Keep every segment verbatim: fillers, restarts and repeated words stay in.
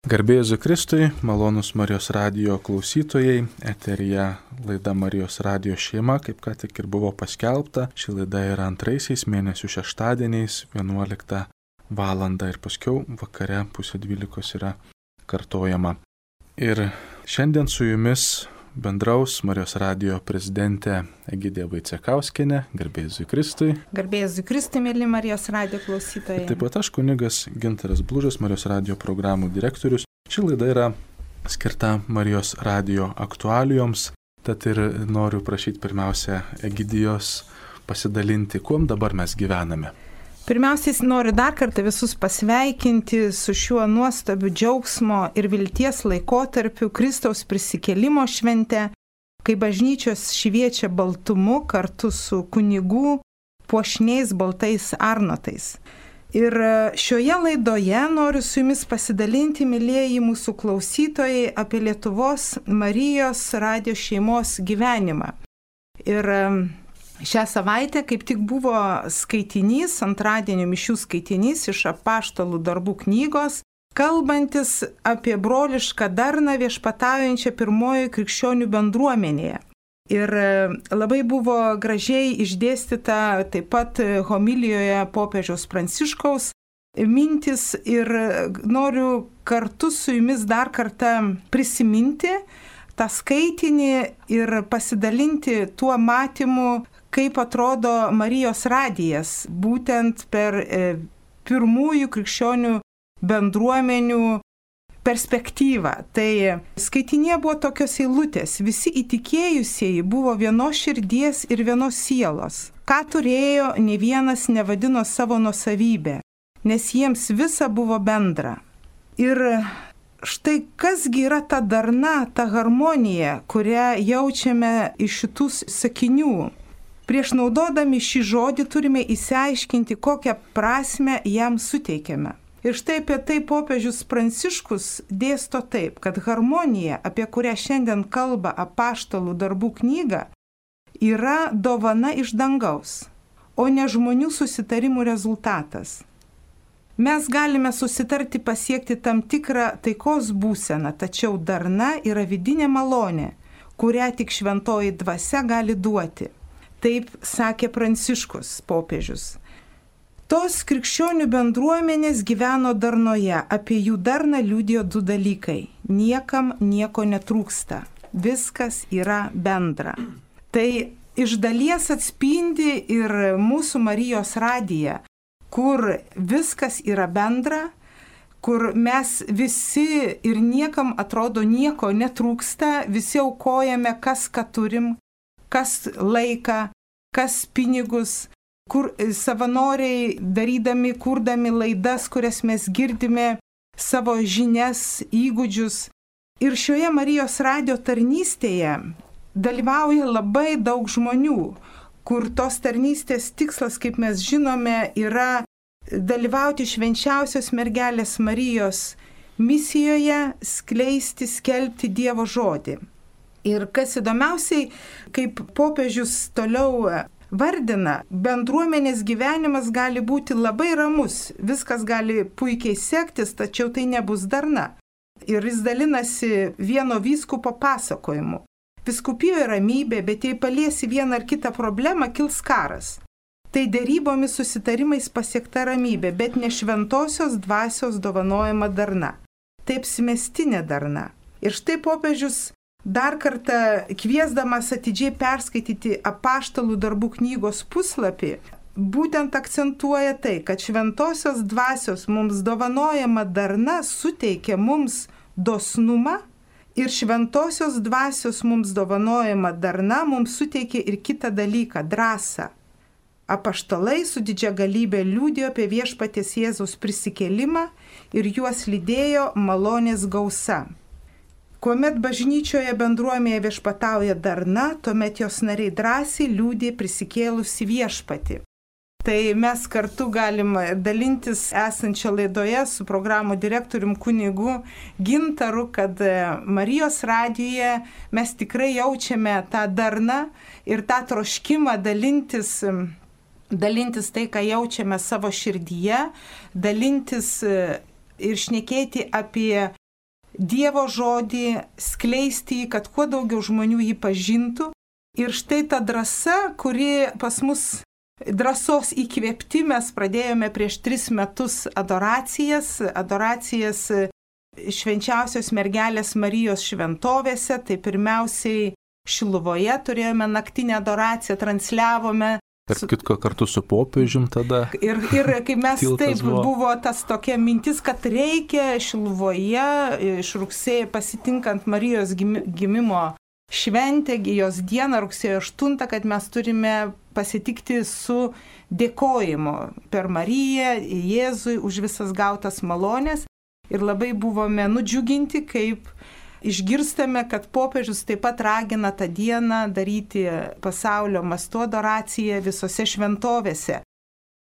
Garbė Jėzui Kristui, malonūs Marijos radijo klausytojai, eteryje laida Marijos radijo šeima, kaip ką tik ir buvo paskelbta. Ši laida yra antraisiais mėnesių šeštadieniais, vienuoliktą valandą ir paskiau vakare pusė dvylikos yra kartojama. Ir šiandien su jumis bendraus Marijos radijo prezidentė Egidija Vaicekauskienė. Garbė Jėzui Kristui. Garbė Jėzui Kristui, mėly Marijos radijo klausytojai. Taip pat aš kunigas Gintaras Blužas, Marijos radijo programų direktorius. Ši laida yra skirta Marijos radijo aktualijoms, tad ir noriu prašyti pirmiausia Egidijos pasidalinti, kuom dabar mes gyvename. Pirmiausiai noriu dar kartą visus pasveikinti su šiuo nuostabiu džiaugsmo ir vilties laikotarpiu Kristaus prisikėlimo švente, kai bažnyčios šviečia baltumu kartu su kunigų puošniais baltais arnotais. Ir šioje laidoje noriu su jumis pasidalinti, mylėjai mūsų klausytojai, apie Lietuvos Marijos radijo šeimos gyvenimą. Ir šią savaitę kaip tik buvo skaitinys, antradienio mišių skaitinys iš Apaštalų darbų knygos, kalbantis apie brolišką darną viešpataujančią pirmojoje krikščionių bendruomenėje. Ir labai buvo gražiai išdėstyta taip pat homilijoje popiežiaus Pranciškaus mintis ir noriu kartu su jumis dar kartą prisiminti tą skaitinį ir pasidalinti tuo matymu, kaip atrodo Marijos radijas, būtent per e, pirmųjų krikščionių bendruomenių perspektyvą. Tai skaitinėje buvo tokios eilutės: visi įtikėjusieji buvo vienos širdies ir vienos sielos. Ką turėjo, ne vienas nevadino savo nuosavybę, nes jiems visa buvo bendra. Ir štai kasgi yra ta darna, ta harmonija, kurią jaučiame iš šitų sakinių. Prieš naudodami šį žodį turime įsiaiškinti, kokią prasmę jam suteikiame. Ir štai apie tai popiežius Pranciškus dėsto taip, kad harmonija, apie kurią šiandien kalba Apaštalų darbų knyga, yra dovana iš dangaus, o ne žmonių susitarimų rezultatas. Mes galime susitarti pasiekti tam tikrą taikos būseną, tačiau darna yra vidinė malonė, kurią tik šventoji dvasia gali duoti. Taip sakė Pranciškus popiežius. Tos krikščionių bendruomenės gyveno darnoje, apie jų darną liudijo du dalykai. Niekam nieko netrūksta, viskas yra bendra. Tai iš dalies atspindi ir mūsų Marijos radiją, kur viskas yra bendra, kur mes visi ir niekam atrodo nieko netrūksta, visi aukojame kas ką turim, kas laiką, kas pinigus, kur savanoriai darydami, kurdami laidas, kurias mes girdime, savo žinias, įgūdžius. Ir šioje Marijos radijo tarnystėje dalyvauja labai daug žmonių, kur tos tarnystės tikslas, kaip mes žinome, yra dalyvauti švenčiausios mergelės Marijos misijoje, skleisti, skelbti Dievo žodį. Ir kas įdomiausiai, kaip popiežius toliau vardina, bendruomenės gyvenimas gali būti labai ramus, viskas gali puikiai sektis, tačiau tai nebus darna. Ir jis dalinasi vieno vyskupo pasakojimu. Vyskupijoje ramybė, bet jei paliesi vieną ar kitą problemą, kils karas. Tai derybomis susitarimais pasiekta ramybė, bet ne šventosios dvasios dovanojama darna. Tai apsimestinė darna. Ir štai popiežius dar kartą kviesdamas atidžiai perskaityti Apaštalų darbų knygos puslapį, būtent akcentuoja tai, kad šventosios dvasios mums dovanojama darna suteikia mums dosnumą ir šventosios dvasios mums dovanojama darna mums suteikia ir kitą dalyką – drąsą. Apaštalai su didžia galybė liudijo apie viešpaties Jėzaus prisikėlimą ir juos lydėjo malonės gausa. Kuomet bažnyčioje bendruomenėje viešpatauja darna, tuomet jos nariai drąsiai liudija prisikėlusi viešpatį. Tai mes kartu galim dalintis esančią laidoje su programų direktorium kunigu Gintaru, kad Marijos radijoje mes tikrai jaučiame tą darną ir tą troškimą dalintis, dalintis tai, ką jaučiame savo širdyje, dalintis ir šnekėti apie Dievo žodį, skleisti jį, kad kuo daugiau žmonių jį pažintų. Ir štai ta drąsa, kuri pas mus, drąsos įkvėpti, mes pradėjome prieš tris metus adoracijas, adoracijas švenčiausios mergelės Marijos šventovėse, tai pirmiausiai Šiluvoje turėjome naktinę adoraciją, transliavome. Tarp kitko kartu su popiežium tada. Ir, ir kai mes taip buvo. buvo tas tokia mintis, kad reikia Šiluvoje iš rugsėjo pasitinkant Marijos gimimo šventę, jos dieną rugsėjo aštuntą, kad mes turime pasitikti su dėkojimu per Mariją, Jėzui už visas gautas malonės. Ir labai buvome nudžiuginti, kaip išgirstame, kad popiežius taip pat ragina tą dieną daryti pasaulio mastu adoraciją visose šventovėse.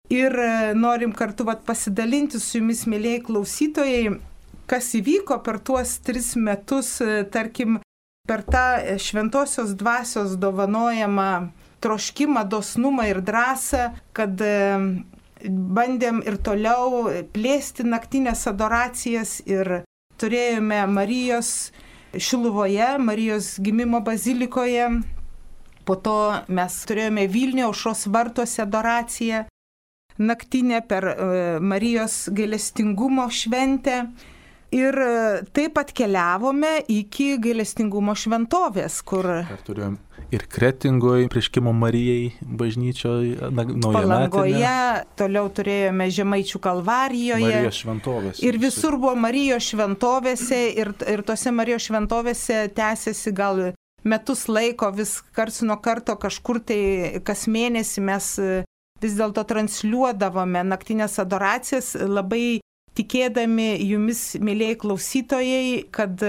Ir norim kartu vat, pasidalinti su jumis, mėlyjei klausytojai, kas įvyko per tuos tris metus, tarkim, per tą šventosios dvasios dovanojamą troškimą, dosnumą ir drąsą, kad bandėm ir toliau plėsti naktinės adoracijas ir turėjome Marijos Šiluvoje, Marijos gimimo bazilikoje, po to mes turėjome Vilniuje Aušros vartuose adoraciją naktinę per Marijos gailestingumo šventę ir taip atkeliavome iki gailestingumo šventovės, kur... Ar turėjom ir Kretingoje, prieškimo Marijai bažnyčioje, naujametinė. Palangoje, toliau turėjome Žemaičių Kalvarijoje. Marijos šventovėse. Ir visur buvo Marijos šventovėse ir, ir tose Marijos šventovėse tęsiasi gal metus laiko, vis karts nuo karto kažkur tai kas mėnesį mes vis dėlto transliuodavome naktinės adoracijas, labai tikėdami jumis, mėlyjei klausytojai, kad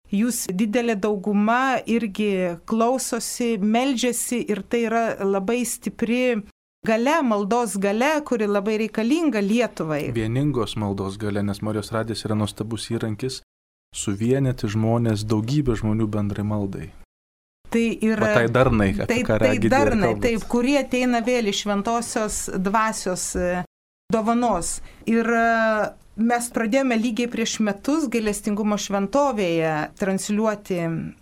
jūs didelė dauguma irgi klausosi, meldžiasi ir tai yra labai stipri galia, maldos galia, kuri labai reikalinga Lietuvai. Vieningos maldos galia, nes Marijos radijas yra nuostabus įrankis suvienyti žmonės, daugybę žmonių bendrai maldai. Tai yra... Va tai darnai, apie tai, ką regi tai darnai, taip, kurie ateina vėl iš šventosios dvasios dovanos. Ir mes pradėjome lygiai prieš metus gailestingumo šventovėje transliuoti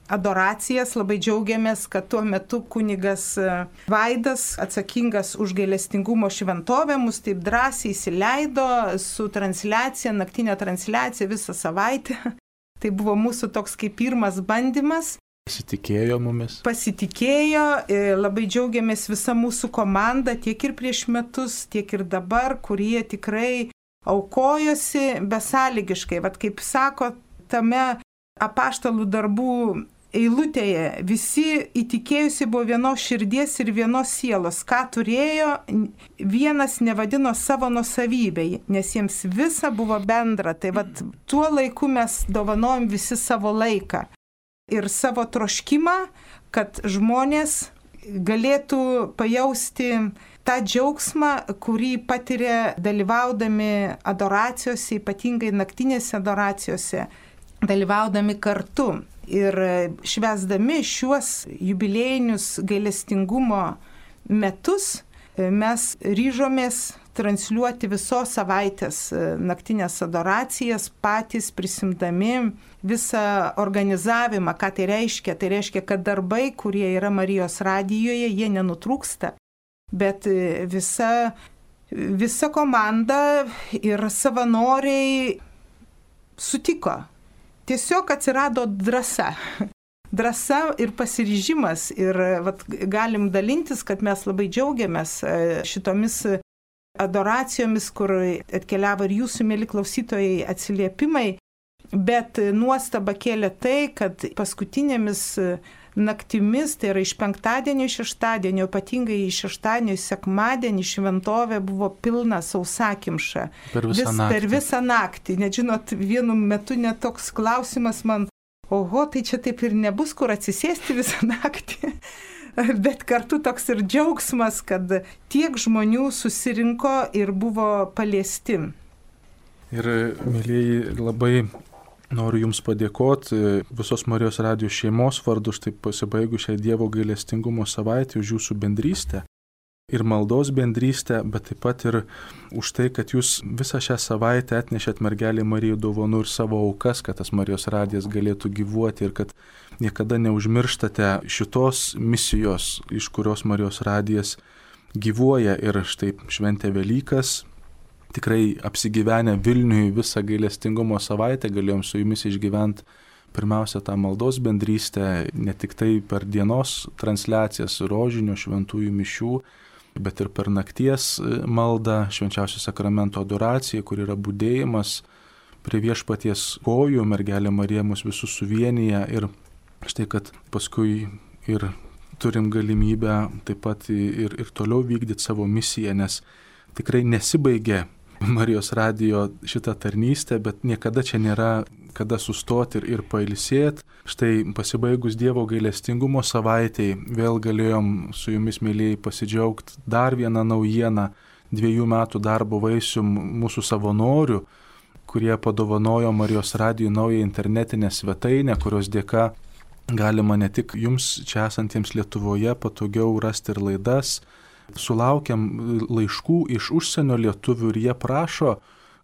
adoracijas. Labai džiaugiamės, kad tuo metu kunigas Vaidas, atsakingas už gailestingumo šventovę, mus taip drąsiai įsileido su transliacija, naktinė transliacija visą savaitę. Tai buvo mūsų toks kaip pirmas bandymas. Pasitikėjo mumis. Pasitikėjo, labai džiaugiamės visa mūsų komanda, tiek ir prieš metus, tiek ir dabar, kurie tikrai aukojosi besąlygiškai. Vat kaip sako tame apaštalų darbų eilutėje, visi įtikėjusi buvo vienos širdies ir vienos sielos. Ką turėjo, vienas nevadino savo nuosavybę, nes jiems visa buvo bendra. Tai vat tuo laiku mes dovanojom visi savo laiką ir savo troškimą, kad žmonės galėtų pajausti tą džiaugsmą, kurį patiria dalyvaudami adoracijose, ypatingai naktinėse adoracijose, dalyvaudami kartu. Ir švęsdami šiuos jubiliejinius gailestingumo metus mes ryžomės transliuoti visos savaitės naktinės adoracijas, patys prisimdami visą organizavimą. Ką tai reiškia? Tai reiškia, kad darbai, kurie yra Marijos radijoje, jie nenutrūksta. Bet visa, visa komanda ir savanoriai sutiko. Tiesiog atsirado drąsa. Drąsa ir pasiryžimas. Ir vat, galim dalintis, kad mes labai džiaugiamės šitomis adoracijomis, kur atkeliavo ir jūsų, mėly klausytojai, atsiliepimai. Bet nuostaba kėlė tai, kad paskutinėmis naktimis, tai yra iš penktadienio į šeštadienio, ypatingai iš šeštadienio į sekmadienį šventovė buvo pilna sausakimša. Per visą Vis, naktį. Per visą naktį. Net žinot, vienu metu net toks klausimas man, oho, tai čia taip ir nebus, kur atsisėsti visą naktį. Bet kartu toks ir džiaugsmas, kad tiek žmonių susirinko ir buvo paliesti. Ir, mėlyjeji, labai noriu Jums padėkoti visos Marijos radijo šeimos vardu, štai pasibaigus šiai Dievo gailestingumo savaitę, už Jūsų bendrystę. ir maldos bendrystę, bet taip pat ir už tai, kad jūs visą šią savaitę atnešėt mergelį Mariją dovanų ir savo aukas, kad tas Marijos radijas galėtų gyvuoti ir kad niekada neužmirštate šitos misijos, iš kurios Marijos radijas gyvuoja. Ir štai šventė Velykas, tikrai apsigyvenę Vilniui visą gailestingumo savaitę galėjom su jumis išgyventi pirmiausia tą maldos bendrystę, ne tik tai per dienos transliacijas rožinio šventųjų mišių, bet ir per nakties maldą, švenčiausio sakramento adoraciją, kur yra budėjimas prie viešpaties kojų, mergelė Marija mus visus suvienyje. Ir štai, kad paskui ir turim galimybę taip pat ir, ir toliau vykdyti savo misiją, nes tikrai nesibaigė Marijos radijo šitą tarnystę, bet niekada čia nėra kada sustoti ir, ir pailsėti. Štai pasibaigus Dievo gailestingumo savaitėj vėl galėjom su jumis, mėlyjei, pasidžiaugti dar vieną naujieną, dviejų metų darbo vaisių mūsų savanorių, kurie padovanojo Marijos radijui naują internetinę svetainę, kurios dėka galima ne tik jums čia esantiems Lietuvoje patogiau rasti ir laidas. Sulaukiam laiškų iš užsienio lietuvių ir jie prašo,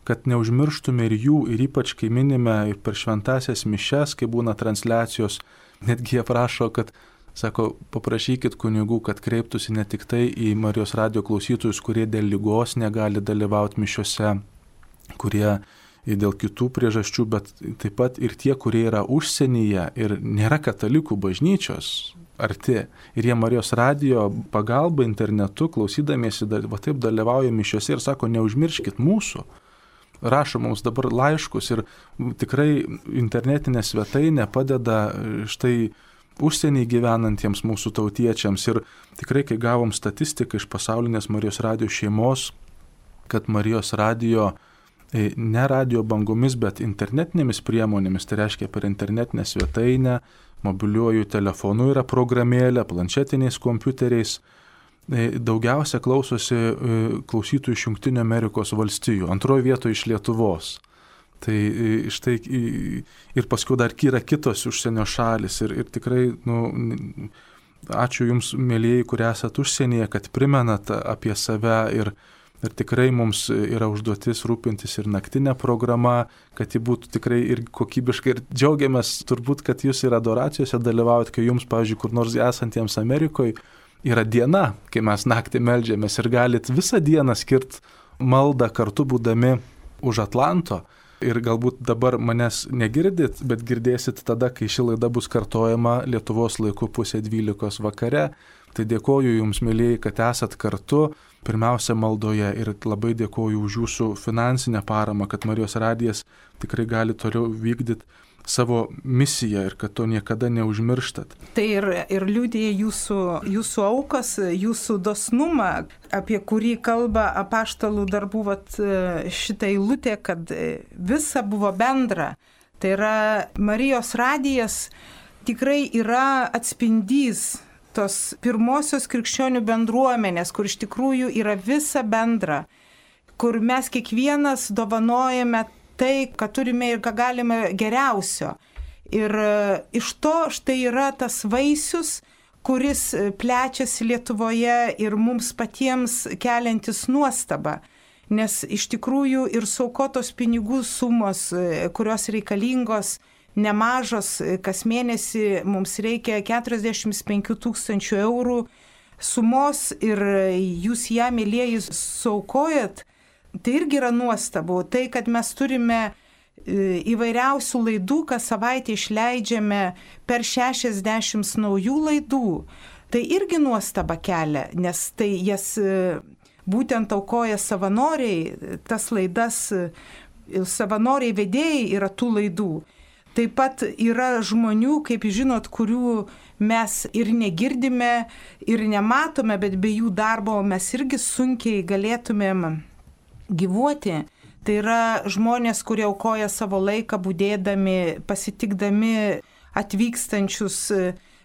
kad neužmirštume ir jų, ir ypač kai minime per šventasias mišias, kai būna transliacijos, netgi jie prašo, kad, sako, paprašykit kunigų, kad kreiptųsi ne tik tai į Marijos radijo klausytojus, kurie dėl ligos negali dalyvauti mišiose, kurie dėl kitų priežasčių, bet taip pat ir tie, kurie yra užsienyje ir nėra katalikų bažnyčios arti. Ir jie Marijos radijo pagalba internetu, klausydamiesi, va taip dalyvauja mišiose ir sako, neužmirškit mūsų. Rašo mums dabar laiškus ir tikrai internetinė svetainė padeda štai užsienį gyvenantiems mūsų tautiečiams. Ir tikrai, kai gavom statistiką iš pasaulinės Marijos radijo šeimos, kad Marijos radijo ne radio bangomis, bet internetinėmis priemonėmis, tai reiškia per internetinę svetainę, mobiliuoju telefonu yra programėlė, planšetiniais kompiuteriais. Daugiausia klausosi klausytojų iš Jungtinių Amerikos valstijų, antroje vietoje iš Lietuvos. Tai štai ir paskui dar yra kitos užsienio šalis ir, ir tikrai, nu, ačiū jums, mėlyjei, kurie esat užsienyje, kad primenat apie save ir Ir tikrai mums yra užduotis rūpintis ir naktinė programa, kad ji būtų tikrai ir kokybiška. Ir džiaugiamės turbūt, kad jūs ir adoracijose dalyvaujat, kai jums, pavyzdžiui, kur nors esantiems Amerikoje yra diena, kai mes naktį meldžiamės ir galit visą dieną skirti maldą kartu būdami už Atlanto. Ir galbūt dabar manęs negirdit, bet girdėsit tada, kai ši laida bus kartojama Lietuvos laiku pusė dvylikos vakare. Tai dėkoju jums, mėlyjei, kad esat kartu, pirmiausia maldoje, ir labai dėkoju už jūsų finansinę paramą, kad Marijos radijas tikrai gali toliau vykdyti savo misiją ir kad to niekada neužmirštat. Tai ir, ir liudija jūsų, jūsų aukas, jūsų dosnumą, apie kurį kalba apaštalų darbų vat, šitą eilutę, kad visa buvo bendra. Tai yra Marijos radijas tikrai yra atspindys tos pirmosios krikščionių bendruomenės, kur iš tikrųjų yra visa bendra, kur mes kiekvienas dovanojame tai, ką turime ir ką galime geriausio. Ir iš to štai yra tas vaisius, kuris plečiasi Lietuvoje ir mums patiems keliantis nuostabą. Nes iš tikrųjų ir suaukotos pinigų sumos, kurios reikalingos, nemažos, kas mėnesį mums reikia keturiasdešimt penkių tūkstančių eurų sumos ir jūs ją, mėlyjeji, suaukojat, tai irgi yra nuostabu. Tai, kad mes turime įvairiausių laidų, kas savaitę išleidžiame per šešiasdešimt naujų laidų, tai irgi nuostaba kelia, nes tai jas būtent aukoja savanoriai, tas laidas, savanoriai vedėjai yra tų laidų. Taip pat yra žmonių, kaip žinot, kurių mes ir negirdime, ir nematome, bet be jų darbo mes irgi sunkiai galėtumėm gyvuoti. Tai yra žmonės, kurie aukoja savo laiką budėdami, pasitikdami atvykstančius,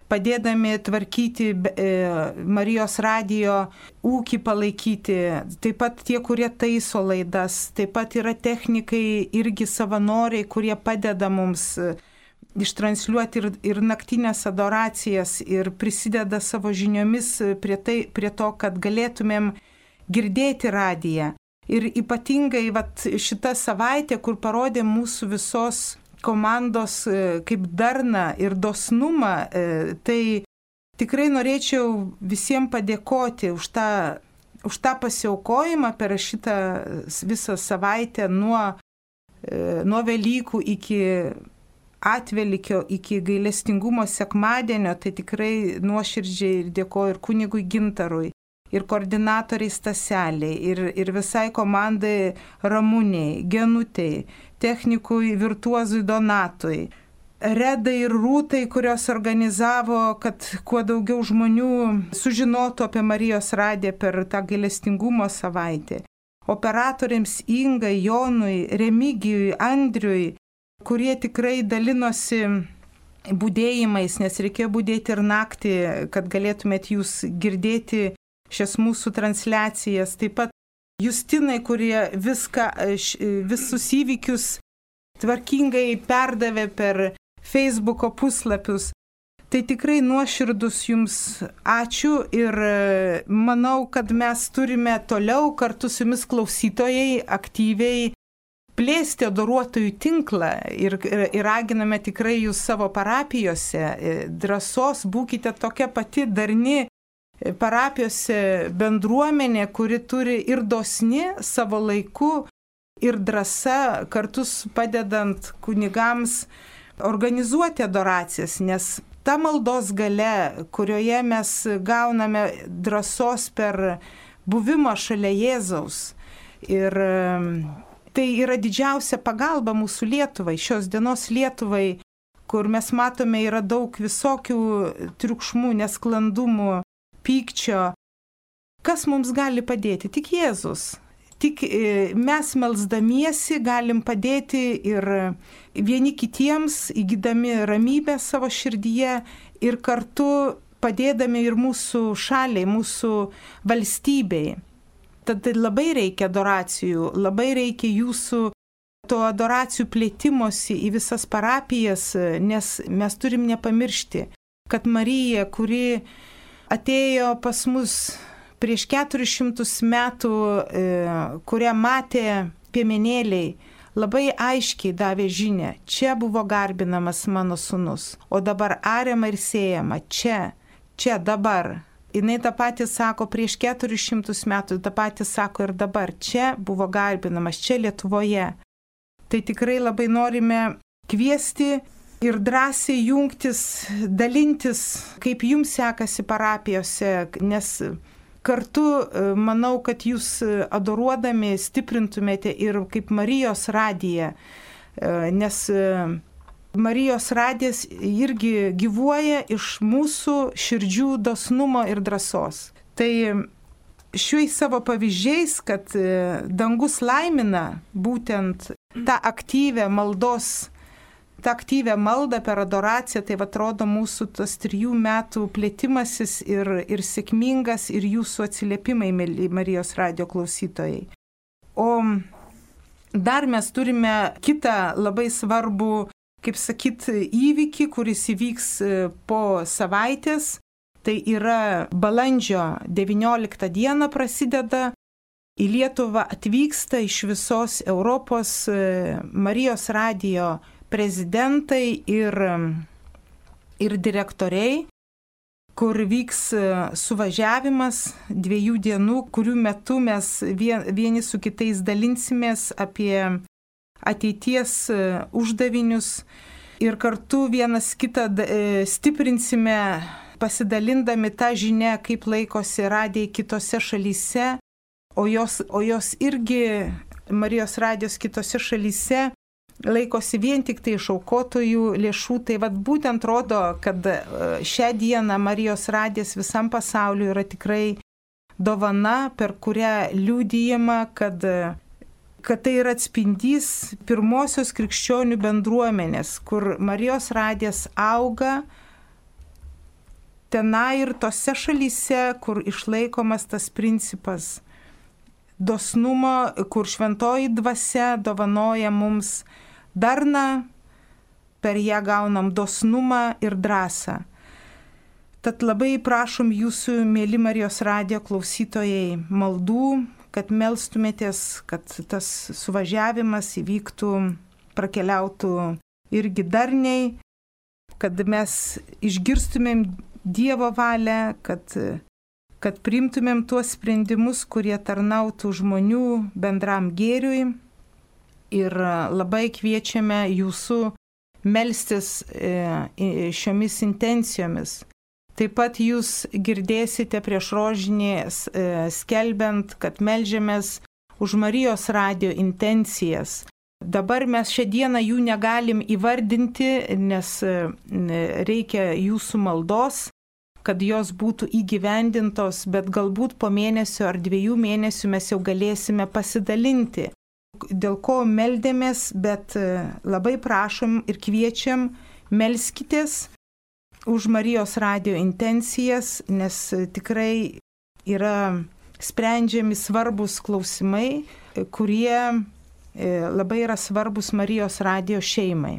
padėdami tvarkyti Marijos radijo ūkį palaikyti. Taip pat tie, kurie taiso laidas, taip pat yra technikai, irgi savanoriai, kurie padeda mums ištransliuoti ir, ir naktinės adoracijas ir prisideda savo žiniomis prie, tai, prie to, kad galėtumėm girdėti radiją. Ir ypatingai vat, šita savaitė, kur parodė mūsų visos komandos kaip darną ir dosnumą, tai tikrai norėčiau visiems padėkoti už tą, už tą pasiaukojimą per šitą visą savaitę nuo, nuo Velykų iki atvelykio, iki gailestingumo sekmadienio. Tai tikrai nuoširdžiai dėkoju ir kunigui Gintarui, ir koordinatoriai Staseliai, ir, ir visai komandai Ramūniai, Genutei, technikui Virtuozui Donatui, Redai ir Rūtai, kurios organizavo, kad kuo daugiau žmonių sužinotų apie Marijos radiją per tą gailestingumo savaitę. Operatoriams Ingai, Jonui, Remigijui, Andriui, kurie tikrai dalinosi budėjimais, nes reikėjo budėti ir naktį, kad galėtumėt jūs girdėti šias mūsų transliacijas. Taip pat Justinai, kurie viską, visus įvykius tvarkingai perdavė per Facebooko puslapius. Tai tikrai nuoširdus jums ačiū ir manau, kad mes turime toliau kartu su jumis klausytojai aktyviai plėsti adoruotojų tinklą ir, ir, ir raginame tikrai jūs savo parapijose. Drąsos, būkite tokia pati darni parapijose bendruomenė, kuri turi ir dosni savo laiku, ir drąsa kartu padedant kunigams organizuoti adoracijas, nes ta maldos galia, kurioje mes gauname drąsos per buvimą šalia Jėzaus. Ir tai yra didžiausia pagalba mūsų Lietuvai, šios dienos Lietuvai, kur mes matome yra daug visokių triukšmų, nesklandumų, pykčio. Kas mums gali padėti? Tik Jėzus. Tik mes melsdamiesi galim padėti ir vieni kitiems, įgydami ramybę savo širdyje ir kartu padėdami ir mūsų šaliai, mūsų valstybei. Tad labai reikia adoracijų, labai reikia jūsų to adoracijų plėtimosi į visas parapijas, nes mes turim nepamiršti, kad Marija, kuri atėjo pas mus prieš keturis šimtus metų, kurią matė piemenėliai, labai aiškiai davė žinią, čia buvo garbinamas mano sūnus, o dabar ariama ir sėjama, čia, čia, dabar. Jis tą patį sako prieš keturis šimtus metų, tą patį sako ir dabar, čia buvo garbinamas, čia Lietuvoje. Tai tikrai labai norime kviesti ir drąsiai jungtis, dalintis, kaip jums sekasi parapijose, nes kartu manau, kad jūs adoruodami stiprintumėte ir kaip Marijos radiją, nes Marijos radijas irgi gyvuoja iš mūsų širdžių dosnumo ir drąsos. Tai šiais savo pavyzdžiais, kad dangus laimina būtent tą aktyvę maldos, tą aktyvę maldą per adoraciją, tai atrodo mūsų tas trijų metų plėtimasis ir, ir sėkmingas ir jūsų atsiliepimai, mėly Marijos radijo klausytojai. O dar mes turime kitą labai svarbų, kaip sakyt, įvykį, kuris įvyks po savaitės. Tai yra balandžio devynioliktą dieną prasideda. Į Lietuvą atvyksta iš visos Europos Marijos radijo prezidentai ir, ir direktoriai, kur vyks suvažiavimas dviejų dienų, kurių metu mes vieni su kitais dalinsimės apie ateities uždavinius ir kartu vienas kitą stiprinsime, pasidalindami tą žinią, kaip laikosi radijai kitose šalyse, o jos, o jos irgi, Marijos radijos kitose šalyse, laikosi vien tik tai iš aukotojų lėšų. Tai vat būtent rodo, kad šią dieną Marijos radijas visam pasauliu yra tikrai dovana, per kurią liudijama, kad kad tai yra atspindys pirmosios krikščionių bendruomenės, kur Marijos radijas auga tenai ir tose šalyse, kur išlaikomas tas principas dosnumo, kur šventoji dvasia dovanoja mums darną, per ją gaunam dosnumą ir drąsą. Tad labai prašom jūsų, mėly Marijos radijo klausytojai, maldų, kad melstumėtės, kad tas suvažiavimas įvyktų, prakeliautų irgi darniai, kad mes išgirstumėm Dievo valią, kad, kad priimtumėm tuos sprendimus, kurie tarnautų žmonių bendram gėriui. Ir labai kviečiame jūsų melstis šiomis intencijomis. Taip pat jūs girdėsite prieš rožinį skelbiant, kad meldžiamės už Marijos radijo intencijas. Dabar mes šią dieną jų negalim įvardinti, nes reikia jūsų maldos, kad jos būtų įgyvendintos, bet galbūt po mėnesio ar dviejų mėnesių mes jau galėsime pasidalinti, dėl ko meldėmės, bet labai prašom ir kviečiam, melskitės už Marijos radijo intencijas, nes tikrai yra sprendžiami svarbus klausimai, kurie labai yra svarbus Marijos radijo šeimai.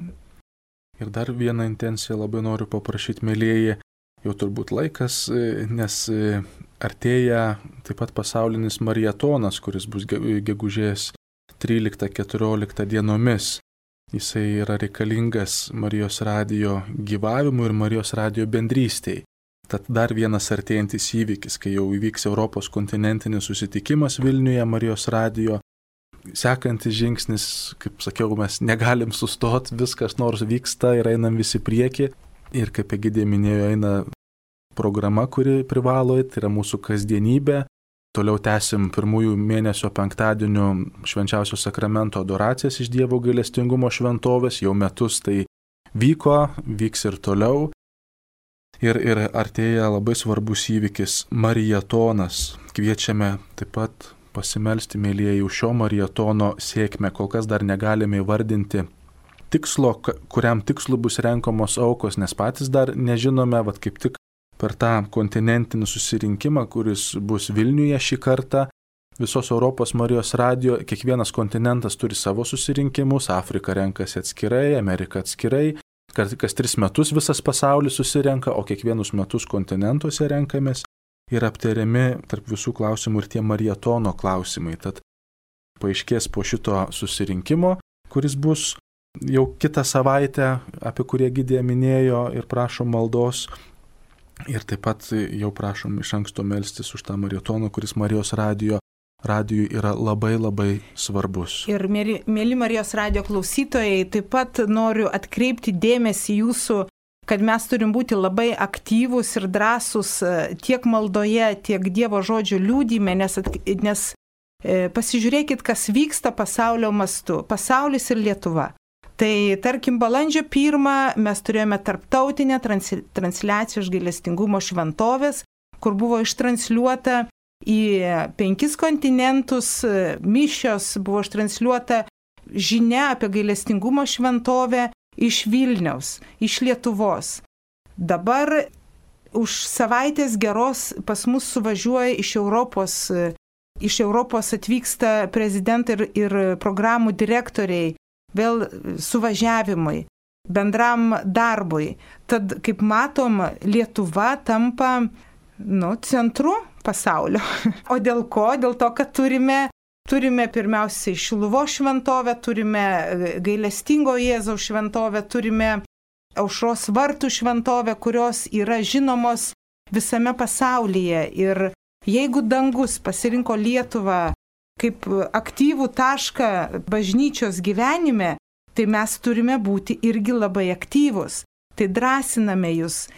Ir dar vieną intenciją labai noriu paprašyti, mėlyjeji, jau turbūt laikas, nes artėja taip pat pasaulinis marietonas, kuris bus gegužės tryliktą keturioliktą dienomis. Jisai yra reikalingas Marijos radijo gyvavimui ir Marijos radijo bendrystėj. Tad dar vienas artėjantis įvykis, kai jau įvyks Europos kontinentinis susitikimas Vilniuje Marijos radijo. Sekantis žingsnis, kaip sakiau, mes negalim sustoti, viskas nors vyksta ir einam visi prieki. Ir kaip Egidė minėjo, eina programa, kuri privalo, tai yra mūsų kasdienybė. Toliau tęsim pirmųjų mėnesio penktadienių švenčiausio sakramento adoracijas iš Dievo gailestingumo šventovės. Jau metus tai vyko, vyks ir toliau. Ir, ir artėja labai svarbus įvykis – marietonas. Kviečiame taip pat pasimelsti, mėlyjeji, už šio marietono sėkmę. Kol kas dar negalime įvardinti tikslo, kuriam tikslu bus renkamos aukos, nes patys dar nežinome, vat kaip tik per tą kontinentinį susirinkimą, kuris bus Vilniuje šį kartą, visos Europos Marijos radijo, kiekvienas kontinentas turi savo susirinkimus, Afrika renkasi atskirai, Amerika atskirai, kas, kas tris metus visas pasaulis susirenka, o kiekvienus metus kontinentuose renkamės ir aptariami tarp visų klausimų ir tie marietono klausimai. Tad paaiškės po šito susirinkimo, kuris bus jau kitą savaitę, apie kurį Egidė minėjo ir prašom maldos. Ir taip pat jau prašom iš anksto melstis už tą marietoną, kuris Marijos radijo radijui yra labai labai svarbus. Ir mėly, mėly Marijos radijo klausytojai, taip pat noriu atkreipti dėmesį jūsų, kad mes turim būti labai aktyvūs ir drąsūs tiek maldoje, tiek Dievo žodžio liūdime, nes, nes e, pasižiūrėkit, kas vyksta pasaulio mastu, pasaulis ir Lietuva. Tai tarkim, balandžio pirmą mes turėjome tarptautinę transliaciją iš gailestingumo šventovės, kur buvo ištransliuota į penkis kontinentus mišios, buvo ištransliuota žinia apie gailestingumo šventovę iš Vilniaus, iš Lietuvos. Dabar už savaitės geros pas mus suvažiuoja iš Europos, iš Europos atvyksta prezidentai ir, ir programų direktoriai, vėl suvažiavimui, bendram darbui. Tad, kaip matom, Lietuva tampa nu, centru pasaulio. O dėl ko? Dėl to, kad turime, turime pirmiausiai Šiluvos šventovę, turime gailestingo Jėzaus šventovę, turime Aušros vartų šventovę, kurios yra žinomos visame pasaulyje. Ir jeigu dangus pasirinko Lietuvą kaip aktyvų tašką bažnyčios gyvenime, tai mes turime būti irgi labai aktyvus. Tai drąsiname jūs.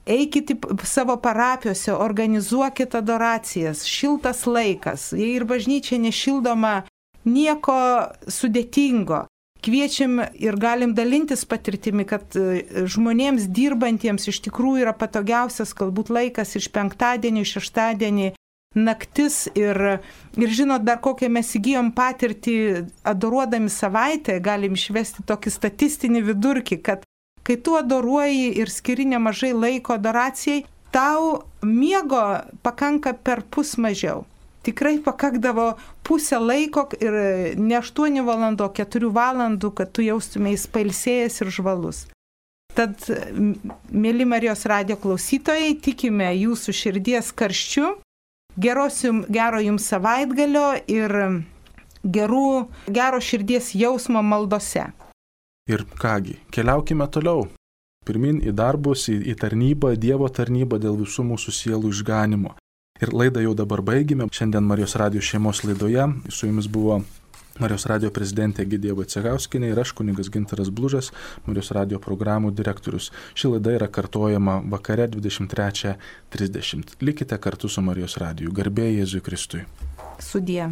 Eikite savo parapijose, organizuokite adoracijas, šiltas laikas. Jei ir bažnyčia nešildoma, nieko sudėtingo. Kviečiam ir galim dalintis patirtimi, kad žmonėms dirbantiems iš tikrųjų yra patogiausias galbūt laikas iš penktadienį, šeštadienį, naktis ir, ir žinot, dar kokią mes įgyjom patirtį adoruodami savaitę, galim išvesti tokį statistinį vidurkį, kad kai tu adoruoji ir skiri nemažai laiko adoracijai, tau miego pakanka per pus mažiau. tikrai pakakdavo pusę laiko ir ne aštuonių valandų, o keturių valandų, kad tu jaustumės pailsėjęs ir žvalus. Tad, mėly Marijos radijo klausytojai, tikime jūsų širdies karščiu, geros jums, gero jums savaitgalio ir gerų, gero širdies jausmo maldose. Ir kągi, keliaukime toliau. Pirmin į darbus, į, į tarnybą, Dievo tarnybą dėl visų mūsų sielų išganimo. Ir laidą jau dabar baigime. Šiandien Marijos radijo šeimos laidoje su jumis buvo Marijos radijo prezidentė Egidija Vaicekauskienė ir aš kunigas Gintaras Blužas, Marijos radijo programų direktorius. Ši laida yra kartojama vakare dvidešimt trečią trisdešimt. Likite kartu su Marijos radiju. Garbė Jėzui Kristui. Sudie.